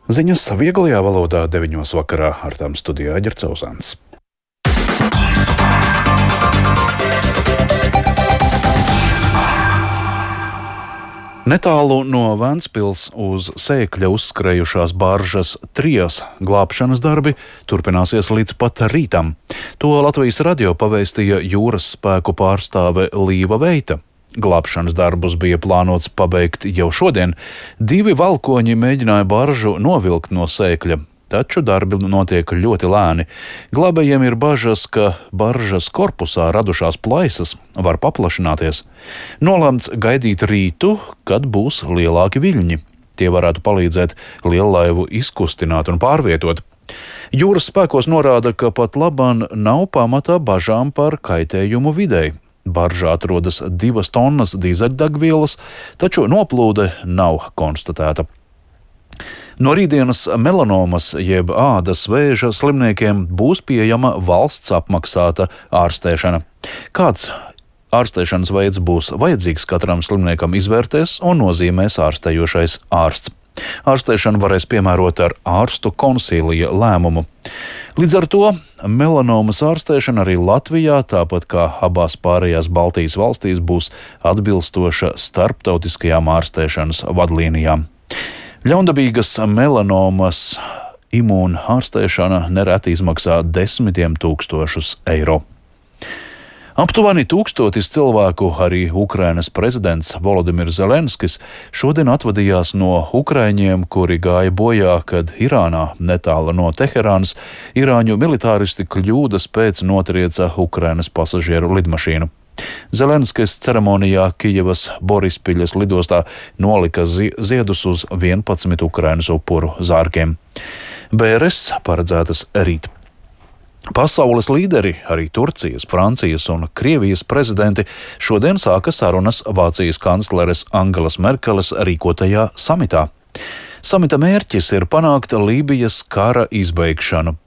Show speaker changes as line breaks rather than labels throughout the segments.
Ziņas vieglajā valodā 9:00 vakarā ar tām studijā Aģerts Ozāns. Netālu no Ventspils uz Sēkļa uzskrējušās baržas Trijas glābšanas darbi turpināsies līdz pat rītam. To Latvijas radio pavēstīja jūras spēku pārstāve Līva Veita. Glābšanas darbus bija plānots pabeigt jau šodien. 2 valkoņi mēģināja baržu novilkt no Sēkļa, taču darbi notiek ļoti lēni. Glābējiem ir bažas, ka baržas korpusā radušās plaisas var paplašināties. Nolemts gaidīt rītu, kad būs lielāki viļņi. Tie varētu palīdzēt liellaivu izkustināt un pārvietot. Jūras spēkos norāda, ka pat laban nav pamatā bažām par kaitējumu videi. Baržā atrodas 2 tonnas dīzeļdegvielas, taču noplūde nav konstatēta. No rītdienas melanomas jeb ādas vēža slimniekiem būs pieejama valsts apmaksāta ārstēšana. Kāds ārstēšanas veids būs vajadzīgs katram slimniekam izvērtēs un nozīmēs ārstējošais ārsts. Ārstēšanu varēs piemērot ar ārstu konsīlija lēmumu. Līdz ar to melanomas ārstēšana arī Latvijā, tāpat kā abās pārējās Baltijas valstīs, būs atbilstoša starptautiskajām ārstēšanas vadlīnijām. Ļaundabīgas melanomas imūna ārstēšana nereti izmaksā 10 000 eiro. Aptuveni 1000 cilvēku arī Ukrainas prezidents Volodimirs Zelenskis šodien atvadījās no ukraiņiem, kuri gāja bojā, kad Irānā, netālu no Teherānas, irāņu militāristi kļūdas pēc notrieca Ukrainas pasažieru lidmašīnu. Zelenskis ceremonijā Kijevas Borispiļas lidostā nolika ziedus uz 11 Ukrainas upuru zārkiem. Bēres paredzētas rīt. Pasaules līderi, arī Turcijas, Francijas un Krievijas prezidenti, šodien sāka sarunas Vācijas kancleres Angelas Merkeles rīkotajā samitā. Samita mērķis ir panākt Lībijas kara izbeigšanu.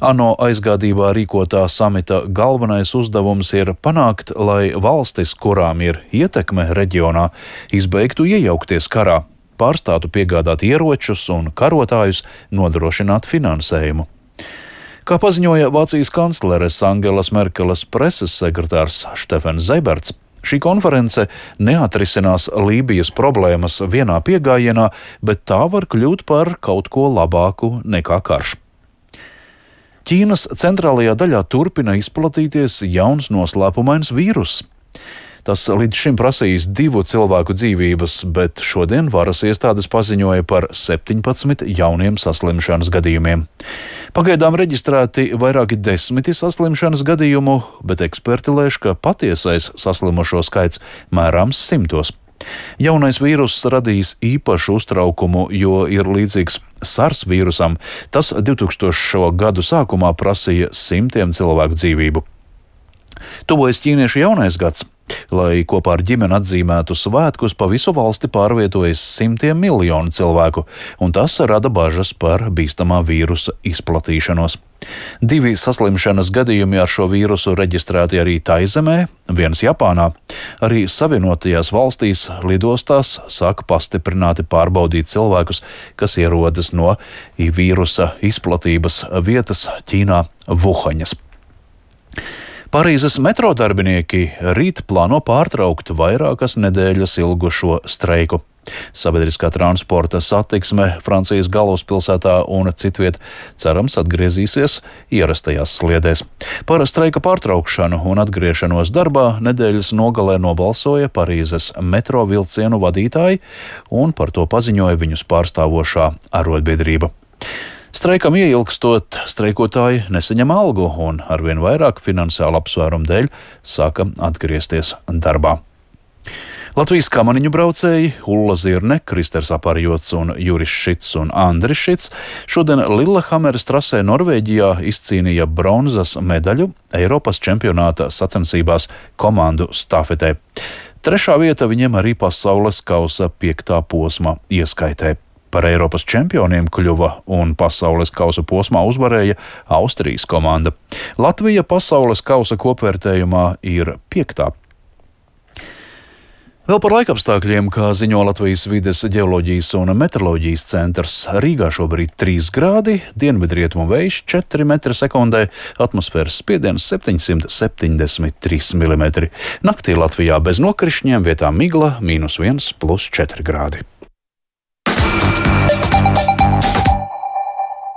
ANO aizgādībā rīkotā samita galvenais uzdevums ir panākt, lai valstis, kurām ir ietekme reģionā, izbeigtu iejaukties karā, pārstātu piegādāt ieročus un karotājus, nodrošināt finansējumu. Kā paziņoja Vācijas kancleres Angelas Merkeles preses sekretārs Štefens Zeiberts, šī konference neatrisinās Lībijas problēmas vienā piegājienā, bet tā var kļūt par kaut ko labāku nekā karš. Ķīnas centrālajā daļā turpina izplatīties jauns noslēpumains vīruss. Tas līdz šim prasījis 2 cilvēku dzīvības, bet šodien varas iestādes paziņoja par 17 jauniem saslimšanas gadījumiem. Pagaidām reģistrēti vairāki 10 saslimšanas gadījumu, bet eksperti lēš, ka patiesais saslimušo skaits mērāms 100. Jaunais vīruss radīs īpašu uztraukumu, jo ir līdzīgs SARS vīrusam. Tas 2000. gadu sākumā prasīja 100 cilvēku dzīvību. Tuvojas ķīniešu jaunais gads. Lai kopā ar ģimeni atzīmētu svētkus, pa visu valsti pārvietojas 100 miljonu cilvēku, un tas rada bažas par bīstamā vīrusa izplatīšanos. 2 saslimšanas gadījumi ar šo vīrusu reģistrēti arī Taizemē, 1 Japānā. Arī Savienotajās valstīs lidostās sāka pastiprināti pārbaudīt cilvēkus, kas ierodas no vīrusa izplatības vietas Ķīnā Vuhaņas. Parīzes metro darbinieki rīt plāno pārtraukt vairākas nedēļas ilgušo streiku. Sabiedriskā transporta satiksme Francijas galvaspilsētā un citviet cerams atgriezīsies ierastajās sliedēs. Par streika pārtraukšanu un atgriešanos darbā nedēļas nogalē nobalsoja Parīzes metro vilcienu vadītāji, un par to paziņoja viņus pārstāvošā arotbiedrība. Streikam ieilgstot, streikotāji nesaņem algu un arvien vairāk finansiālu apsvērumu dēļ sāka atgriezties darbā. Latvijas kamaniņu braucēji Ulla Zirne, Kristers Aparjots un Juris Šits un Andris Šits šodien Lillehammeres trasē Norvēģijā izcīnīja bronzas medaļu Eiropas čempionāta sacensībās komandu stafetē. 3. vieta viņiem arī pasaules kausa 5. posma ieskaitē. Par Eiropas čempioniem kļuva un pasaules kausa posmā uzvarēja Austrijas komanda. Latvija pasaules kausa kopvērtējumā ir 5. Vēl par laikapstākļiem, kā ziņo Latvijas vides ģeoloģijas un meteoroloģijas centrs, Rīgā šobrīd 3 grādi, dienvidrietumu vējš 4 m/sekundē, atmosfēras spiediens 773 mm. Naktī Latvijā bez nokrišņiem, vietām migla -1 + 4 grādi.